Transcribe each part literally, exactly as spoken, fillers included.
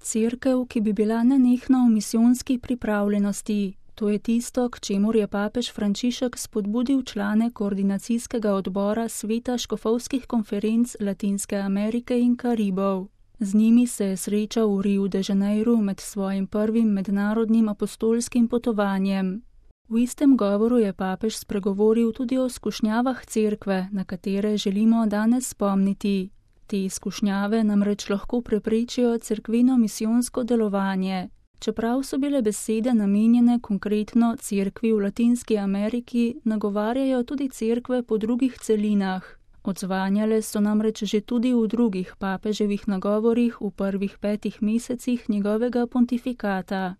Cerkev, ki bi bila nenehno v misijonski pripravljenosti. To je tisto, k čemur je papež Frančišek spodbudil člane koordinacijskega odbora Sveta škofovskih konferenc Latinske Amerike in Karibov. Z njimi se je srečal v Riu de Janeiru med svojim prvim mednarodnim apostolskim potovanjem. V istem govoru je papež spregovoril tudi o skušnjavah cerkve, na katere želimo danes spomniti. Te izkušnjave namreč lahko preprečijo cerkveno misijonsko delovanje. Čeprav so bile besede namenjene konkretno cerkvi v Latinski Ameriki, nagovarjajo tudi cerkve po drugih celinah. Odzvanjale so namreč že tudi v drugih papeževih nagovorih v prvih petih mesecih njegovega pontifikata.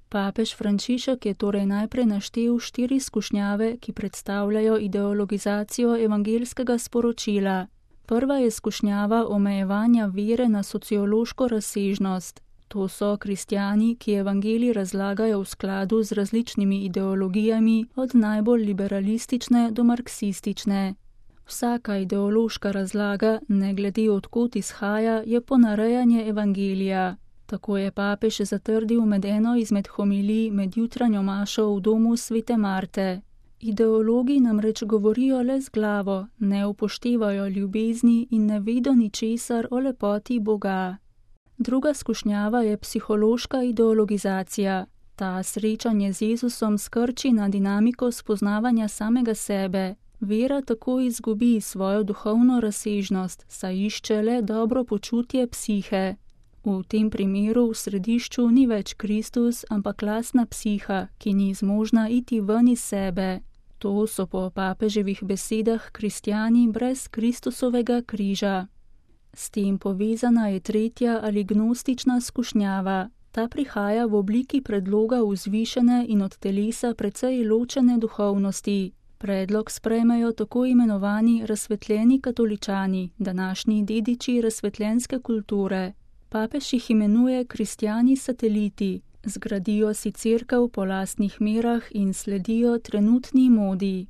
Papež Frančišek je torej najprej naštel štiri skušnjave, ki predstavljajo ideologizacijo evangeljskega sporočila. Prva je skušnjava omejevanja vere na sociološko razsežnost. To so kristjani, ki evangelij razlagajo v skladu z različnimi ideologijami, od najbolj liberalistične do marksistične. Vsaka ideološka razlaga, ne glede odkot izhaja, je ponarejanje evangelija. Tako je papež zatrdil med eno izmed homilij med jutranjo mašo v domu svete Marte. Ideologi namreč govorijo le z glavo, ne upoštevajo ljubezni in ne vedo ničesar o lepoti Boga. Druga skušnjava je psihološka ideologizacija. Ta srečanje z Jezusom skrči na dinamiko spoznavanja samega sebe. Vera tako izgubi svojo duhovno razsežnost, saj išče le dobro počutje psihe. V tem primeru v središču ni več Kristus, ampak lastna psiha, ki ni zmožna iti ven iz sebe. To so po papeževih besedah kristjani brez Kristusovega križa. S tem povezana je tretja ali gnostična skušnjava. Ta prihaja v obliki predloga vzvišene in od telesa precej ločene duhovnosti. Predlog sprejmejo tako imenovani razsvetljeni katoličani, današnji dediči razsvetljenske kulture. Papež jih imenuje kristjani sateliti, zgradijo si cerkev po lastnih merah in sledijo trenutni modi.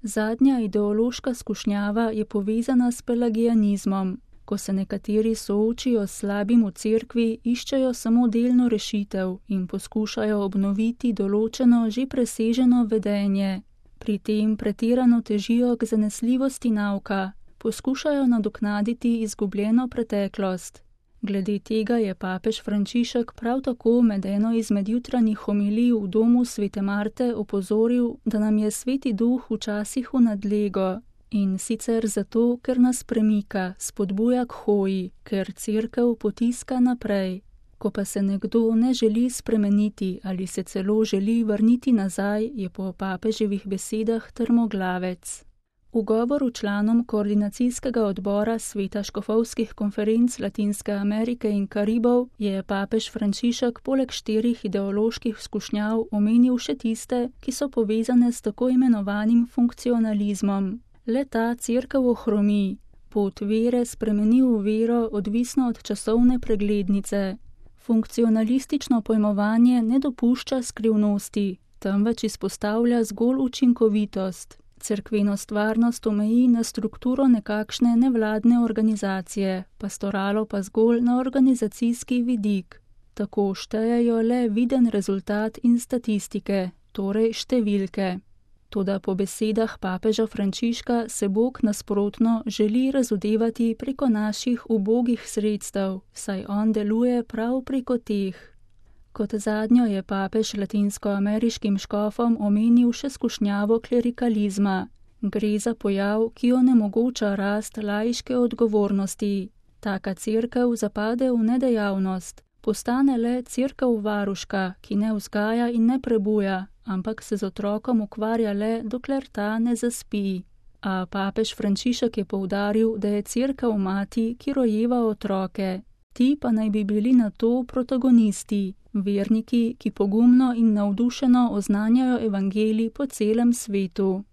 Zadnja ideološka skušnjava je povezana s pelagianizmom. Ko se nekateri soočijo s slabim v cerkvi, iščejo samo delno rešitev in poskušajo obnoviti določeno že preseženo vedenje. Pri tem pretirano težijo k zanesljivosti nauka, poskušajo nadoknaditi izgubljeno preteklost. Glede tega je papež Frančišek prav tako med eno izmed jutranjih homilij v domu svete Marte opozoril, da nam je sveti duh včasih v nadlego. In sicer zato, ker nas premika, spodbuja k hoji, ker cerkev potiska naprej. Ko pa se nekdo ne želi spremeniti ali se celo želi vrniti nazaj, je po papeževih besedah trmoglavec. V govoru članom koordinacijskega odbora Sveta škofovskih konferenc Latinske Amerike in Karibov je papež Frančišek poleg štirih ideoloških skušnjav omenil še tiste, ki so povezane s tako imenovanim funkcionalizmom. Le ta cerkev ohromi, pot vere spremeni v vero odvisno od časovne preglednice. Funkcionalistično pojmovanje ne dopušča skrivnosti, temveč izpostavlja zgolj učinkovitost. Cerkveno stvarnost omeji na strukturo nekakšne nevladne organizacije, pastoralo pa zgolj na organizacijski vidik. Tako štejejo le viden rezultat in statistike, torej številke. Toda po besedah papeža Frančiška se Bog nasprotno želi razodevati preko naših ubogih sredstev, saj on deluje prav preko teh. Kot zadnjo je papež latinskoameriškim škofom omenil še skušnjavo klerikalizma. Gre za pojav, ki onemogoča rast laiške odgovornosti. Taka cerkev zapade v nedejavnost, postane le cerkev varuška, ki ne vzgaja in ne prebuja, ampak se z otrokom ukvarja le, dokler ta ne zaspi. A papež Frančišek je poudaril, da je cerkev mati, ki rojeva otroke. Ti pa naj bi bili na to protagonisti, verniki, ki pogumno in navdušeno oznanjajo evangelij po celem svetu.